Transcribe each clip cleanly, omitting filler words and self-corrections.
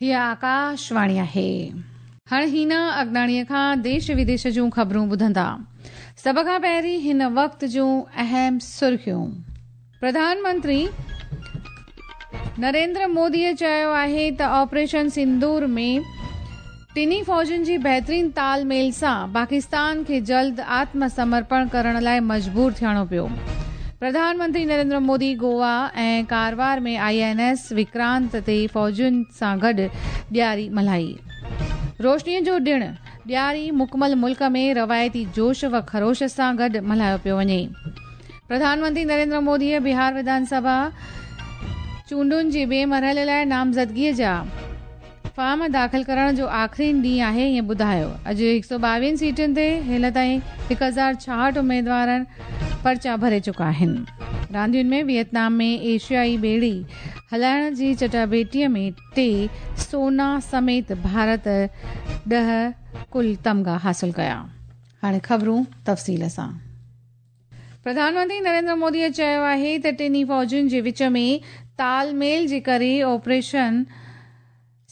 هيء آڪاشواڻي آهي. هاڻ هينا اگناڻيء کان ديش وديش جون خبرون ٻڌندا. سڀ کان پهرين هن وقت جون اهم سرخيون. پرڌان منتري نريندر موديء چيو آهي ته آپريشن سندور ۾ ٽنهي فوجن جي بهترين تال ميل سان پاڪستان کي جلد آتم سمرپڻ ڪرڻ لاء مجبور ٿيڻو پيو. Pradhan Mantri Narendra Modi Goa ۽ Karwar ۾ I N S Vikrant تي فوجين سان گڏ ڏياري ملهائي. روشنيء جو ڏڻ ڏياري مڪمل ملڪ ۾ روايتي جوش و خروش سان گڏ ملهايو پيو وڃي. پرڌان منتري نريندر موديء بهار وڌان سڀا چونڊن جي ٻئي مرحلي لاء نامزدگيء جا فارم داخل ڪرڻ جو آخرين ڏينهن آهي ائين ٻڌايو. اڄ هڪ سؤ ٻاويهن سيٽن تي هيل تائين 1066 اميدوارن پرچا ڀري چڪا آهن. راندين ۾ ويتنام ۾ ايشيائي ٻيڙي هلائڻ جي چٽاڀيٽيء ۾ ٽي سونا سميت ڀارت 10 ڪل تمغا حاصل ڪيا. هاڻي خبرون تفصيل سان. پرڌان منتري نريندر موديء چيو آهي ته ٽنهي فوجن جي وچ ۾ تال ميل جي ڪري آپريشن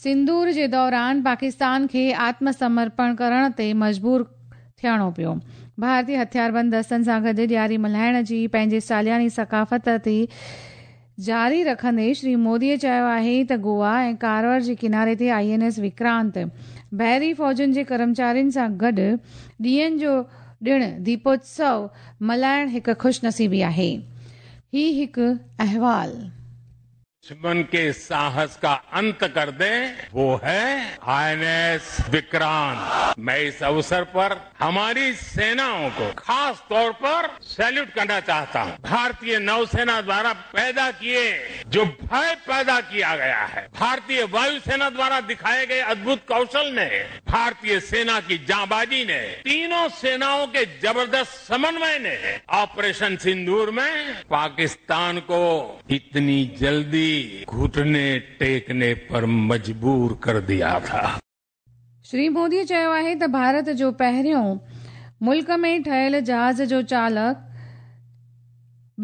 سندور جي دوران پاڪستان کي آتم سمرپڻ ڪرڻ تي مجبور ٿيڻو پيو. ڀارتي هٿياربند دستن سان گڏ ڏياري ملهائڻ جي پنهنجي سالياني ثقافت تي جاري رکندي شري موديء چيو آهي ته گوا ۽ ڪارور جي ڪناري تي I N S Vikrant بحري فوجن جي ڪرمچارين سان گڏ ڏيئن جو ڏڻ ديپوتسو ملهائڻ هڪ خوش نصيبي آهي. هي هڪ احوال. دشمن ڪي ساهس ڪا انت ڪر the وو هي I N S Vikrant. مين اس اوسر پر هماري سينائون ڪو خاص طور پر سيليوٽ ڪرنا چاهتا هون. ڀارتيه نوسينا دوارا پيدا ڪيي جو ڀئه پيدا ڪيا گيا هي، ڀارتيه وايو سينا دوارا دکائي گئي ادڀت ڪوشل ني، ڀارتيه سينا ڪي جانبازي ني، تينون سينائون ڪي زبردست سمنوئي ني آپريشن سندور مين پاڪستان ڪو اتني جلدي گهٽني ٽيڪني پر مجبور ڪر ديا ٿا. شري مودي چيو آهي ته ڀارت جو پهريون ملڪ ۾ ٺهيل جهاز جو چالڪ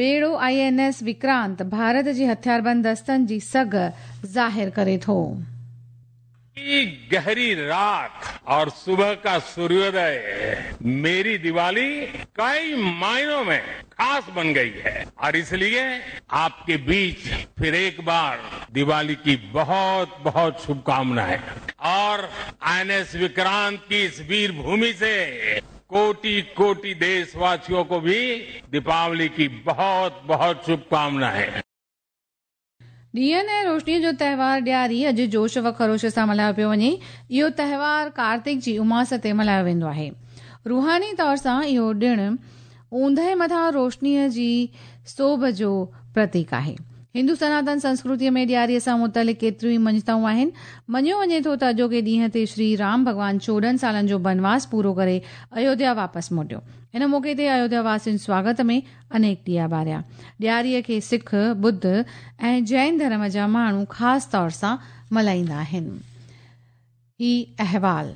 ٻيڙو I N S Vikrant Bharat جي هٿياربند دستن جي سگهه ظاهر ڪري ٿو. ڪي گهري رات اور صبح ڪا سوريودي ميري ديوالي ڪئي معنو ۾ خاص بن گئي هي اور اس ليي آپ ڪي بيچ ڦر ايڪ بار ديوالي ڪي بهت بهت شڀڪامنائين اور I N S Vikrant ڪي اس وير ڀومي سي ڪوٽي ڪوٽي ديش واسيون ڪو ڀي ديپاولي ڪي بهت بهت شڀڪامنائين. ڏيئن ۽ روشنيء جو تهوار ڏياري اڄ جوش و خروش سان ملهايو پيو وڃي. اهو تهوار ڪارتڪ جي اماس تي ملهايو ويندو آهي. روحاني طور سان اهو ڏڻ اوندهه مٿان روشنيء جي سوڀ جو پرتيڪ آهي. هندو سناتن سنسڪرتيء ۾ ڏياريء سان متعلق ڪيتريون ئي مڃتائون آهن. مڃيو وڃي ٿو ته اڄوڪي ڏينهن تي شري رام ڀڳوان 14 سالن جو بنواس پورو ڪري ايوڌيا واپس موٽيو. ان موقعي تي ايوڌيا واسين سواگت ۾ انيڪ ڏيئا ٻاريا. ڏياريء کي سک، ٻڌ ۽ جين ڌرم جا ماڻهو خاص طور سان ملهائيندا آهن. هي احوال.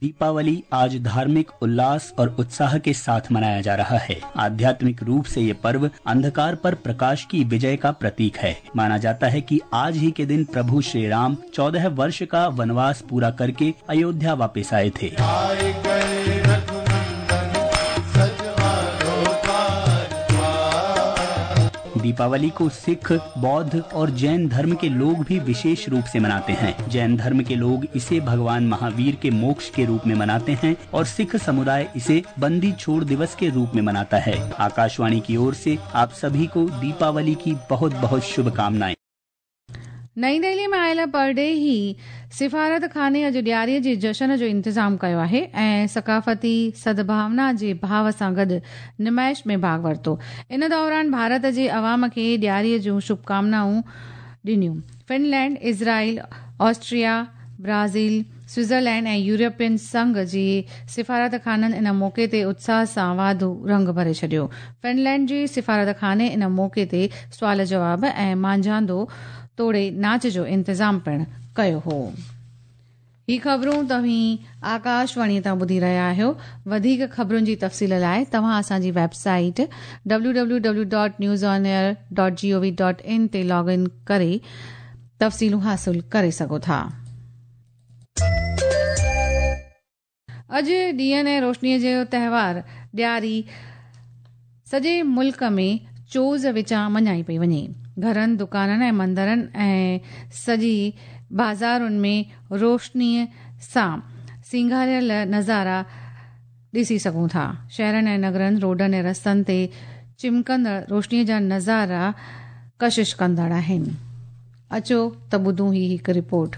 दीपावली आज धार्मिक उल्लास और उत्साह के साथ मनाया जा रहा है। आध्यात्मिक रूप से ये पर्व अंधकार पर प्रकाश की विजय का प्रतीक है। माना जाता है कि आज ही के दिन प्रभु श्री राम 14 वर्ष का वनवास पूरा करके अयोध्या वापस आए थे। दीपावली को सिख, बौद्ध और जैन धर्म के लोग भी विशेष रूप से मनाते हैं। जैन धर्म के लोग इसे भगवान महावीर के मोक्ष के रूप में मनाते हैं और सिख समुदाय इसे बंदी छोड़ दिवस के रूप में मनाता है। आकाशवाणी की ओर से आप सभी को दीपावली की बहुत बहुत शुभकामनाएं। نئين دهلي ۾ آيل پرڏيهي سفارتخاني اڄ ڏياري جي جشن جو انتظام ڪيو آهي ۽ ثقافتي سدڀاونا جي ڀاو سان گڏ نمائش ۾ ڀاڳ ورتو. ان دوران ڀارت جي عوام کي ڏياري جون شڀڪامنائون ڏنيون. Finland, Israel, Austria, Brazil, Switzerland ۽ European Sangh جي سفارتخانن ان موقعي تي اتساهه سان واڌو رنگ ڀري ڇڏيو. فنلينڊ جي سفارتخاني ان موقعي تي سوال جواب ۽ مانجهاندو توڙي ناچ جو انتظام پڻ ڪيو هو. هي خبرون توهين آڪاشواڻي تان ٻڌي رهيا آهيو. وڌيڪ خبرن جي تفصيل لاء توهان اسان جي web site www.newsonair.gov.in تي لاگ ان ڪري تفصيلون حاصل ڪري سگهو ٿا. अॼु ॾींहनि ऐं रोशनीअ जो तहिवार ॾियारी सॼे मुल्क में चोज़ विचां मञाई पई वञे। घरनि, दुकाननि ऐं मंदरनि ऐं सॼी बाज़ारुनि में रोशनीअ सां सींगारियल नज़ारा ॾिसी सघूं था। शहरनि ऐं नगरनि, रोडनि ऐं रस्तनि ते चिमकंदड़ रोशनीअ जा नज़ारा कशिश कंदड़ आहिनि। अचो त ॿुधूं ही हिकु रिपोर्ट।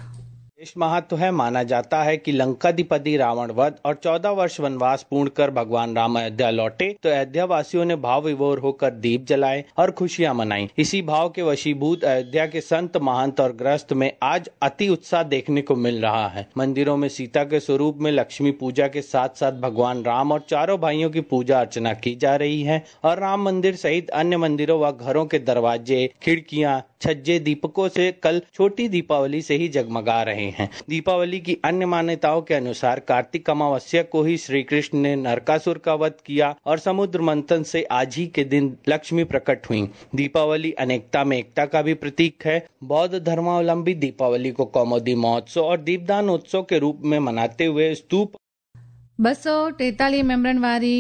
विशेष महत्व है। माना जाता है कि लंकाधिपति रावण वध और 14 वर्ष वनवास पूर्ण कर भगवान राम अयोध्या लौटे तो अयोध्या वासियों ने भाव विभोर होकर दीप जलाए और खुशियां मनाई। इसी भाव के वशीभूत अयोध्या के संत, महंत और गृहस्थ में आज अति उत्साह देखने को मिल रहा है। मंदिरों में सीता के स्वरूप में लक्ष्मी पूजा के साथ साथ भगवान राम और चारों भाइयों की पूजा अर्चना की जा रही है और राम मंदिर सहित अन्य मंदिरों व घरों के दरवाजे, खिड़कियां, छज्जे दीपकों से कल छोटी दीपावली से ही जगमगा रहे हैं। दीपावली की अन्य मान्यताओं के अनुसार कार्तिक अमावस्या को ही श्री कृष्ण ने नरकासुर का वध किया और समुद्र मंथन से आज ही के दिन लक्ष्मी प्रकट हुई। दीपावली अनेकता में एकता का भी प्रतीक है। बौद्ध धर्मावलंबी दीपावली को कौमुदी महोत्सव और दीपदान उत्सव के रूप में मनाते हुए स्तूप 243 मेंबरनि वारी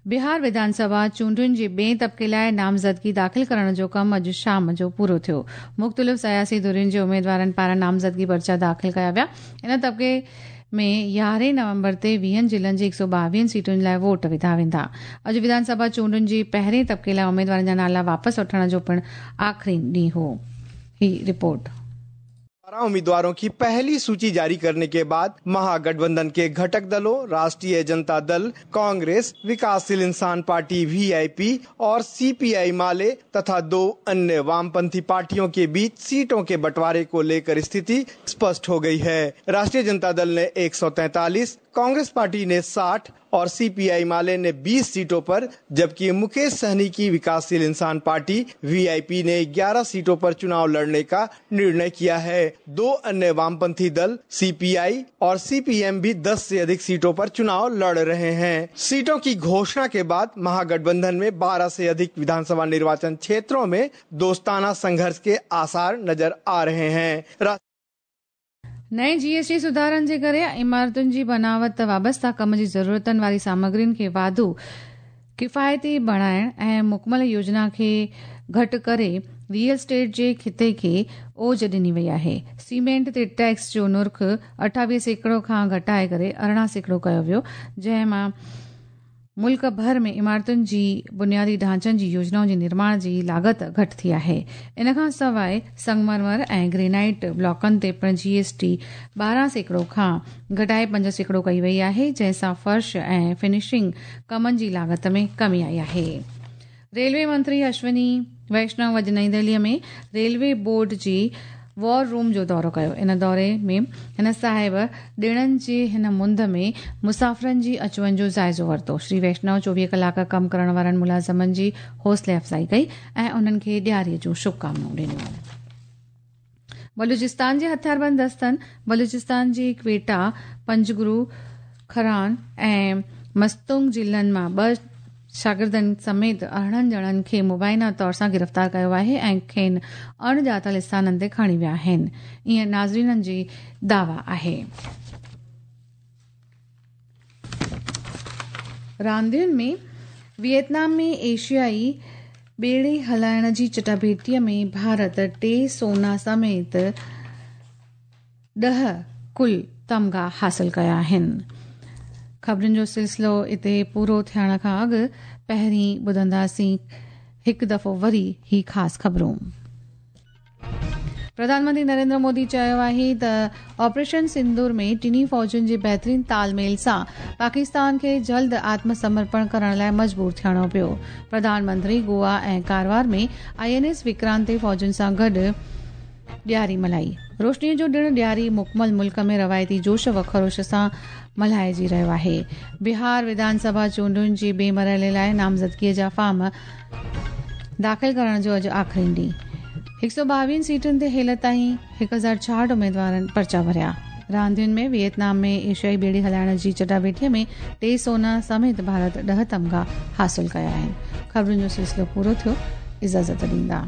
बिहार विधानसभा चूंडुनि जे ॿिए तबिके लाइ नामज़दगी दाख़िल करण जो कमु अॼु शाम जो पूरो थियो। मुख़्तलिफ़ सियासी धुरियुनि जे उमेदवारनि पारां नामज़दगी पर्चा दाख़िल कया विया। इन तबिके में 11 नवंबर ते 20 ज़िलनि जी 122 सीटुनि लाइ वोट विधा वेंदा। अॼु विधानसभा चूंडुनि जी पहिरें तबिके लाइ उमेदवारनि जा नाला वापसि वठण जो पिणु आख़िरी ॾींहुं हो। ही रिपोर्ट। 12 उम्मीदवारों की पहली सूची जारी करने के बाद महागठबंधन के घटक दलों राष्ट्रीय जनता दल, कांग्रेस, विकासशील इंसान पार्टी वीआईपी और सीपीआई माले तथा 2 अन्य वामपंथी पार्टियों के बीच सीटों के बंटवारे को लेकर स्थिति स्पष्ट हो गई है। राष्ट्रीय जनता दल ने 143, कांग्रेस पार्टी ने 60 और सीपीआई माले ने 20 सीटों पर, जबकि मुकेश सहनी की विकासशील इंसान पार्टी वीआईपी ने 11 सीटों पर चुनाव लड़ने का निर्णय किया है। 2 अन्य वामपंथी दल सीपीआई और सीपीएम भी 10 से अधिक सीटों पर चुनाव लड़ रहे हैं। सीटों की घोषणा के बाद महागठबंधन में 12 से अधिक विधानसभा निर्वाचन क्षेत्रों में दोस्ताना संघर्ष के आसार नजर आ रहे हैं। नए जीएसटी सुधारनि जे करे इमारतुनि जी बनावत वाबस्ता कम जी ज़रूरतनि वारी सामग्रियुनि खे वाधू किफ़ायती बणाइण ऐं मुकमल योजना खे घटि करे रियल स्टेट जे खिते खे ओज ॾिनी वई आहे। सीमेंट ते टैक्स जो नुर्ख़ 28% खां घटाए करे 18% कयो वियो, जंहिं मां मुल्क भर में इमारतुनि जी बुनियादी ढांचनि जी योजनाउनि जे निर्माण जी लागत घटि थी आहे। इन खां सवाइ संगमरमर ऐं ग्रेनाइट ब्लॉकनि ते पिणु जीएसटी 12% खां घटाए 5% कई वई आहे, जंहिं सां फर्श ऐं फिनिशिंग कमनि जी लागत में कमी आई आहे। रेलवे मंत्री अश्विनी वैष्णव अॼु नई दिल्लीअ में रेलवे बोर्ड जी वॉर रूम जो दौरो कयो। इन दौरे में हिन साहिब ॾिणनि जे हिन मुंद में मुसाफ़िरनि जी अचु वञ जो जाइज़ो वरितो। श्री वैष्णव 24 कलाक कमु करण वारनि मुलाज़िमनि जी हौसले अफ़ज़ाई कई ऐं उन्हनि खे ॾियारीअ जूं शुभकामनाऊं ॾिनियूं। बलूचिस्तान जे हथियारबंद दस्तनि बलूचिस्तान जी क्वेटा, पंजगुरू, खरान ऐं मस्तुंग ज़िलनि मां 2 शागिर्दनि समेत 18 ॼणनि खे मुबैना तौर सां गिरफ़्तार कयो आहे ऐं खेनि अणॼातल स्थाननि ते खणी विया आहिनि। ईअं नाज़रीननि जी दावा आहे। रांदियुनि में वियतनाम में एशियाई ॿेड़े हलाइण जी चटाभेटीअ में भारत 3 सोना समेत 10 कुल तमगा हासिल कया आहिनि। ख़बरुनि जो सिलसिलो हिते पूरो थियण खां अॻु पहिरीं ॿुधंदासीं हिकु दफ़ो वरी ही ख़ासि ख़बरूं। प्रधानमंत्री नरेंद्र मोदी चयो आहे त ऑपरेशन सिंदूर में टिन्ही फ़ौजुनि जे बहितरीन तालमेल सां पाकिस्तान खे जल्द आत्मसमर्पण करण लाइ मजबूर थियणो पियो। प्रधानमंत्री गोवा ऐं कारवार में आईएनएस विक्रांत ते फ़ौजुनि सां गॾु ॾियारी मल्हाई। रोशनीअ जो ॾिणु ॾियारी मुकमल मुल्क में रवायती जोश व ख़रोश सां मल्हाइजी रहियो आहे। बिहार विधानसभा चूंडुनि जे ॿिए मरहले लाइ नामज़दगीअ जा फॉर्म दाख़िल करण जो अॼु आख़िरी ॾींहुं। 122 सीटुनि ते हेल ताईं 1066 उमेदवारनि पर्चा भरिया। रांदियुनि में वियतनाम में एशियाई ॿेड़ी हलाइण जी चटाभेटीअ में 3 सोना समेत भारत 10 तमगा हासिल कया आहिनि। ख़बरुनि जो सिलसिलो पूरो थियो। इजाज़त ॾींदा।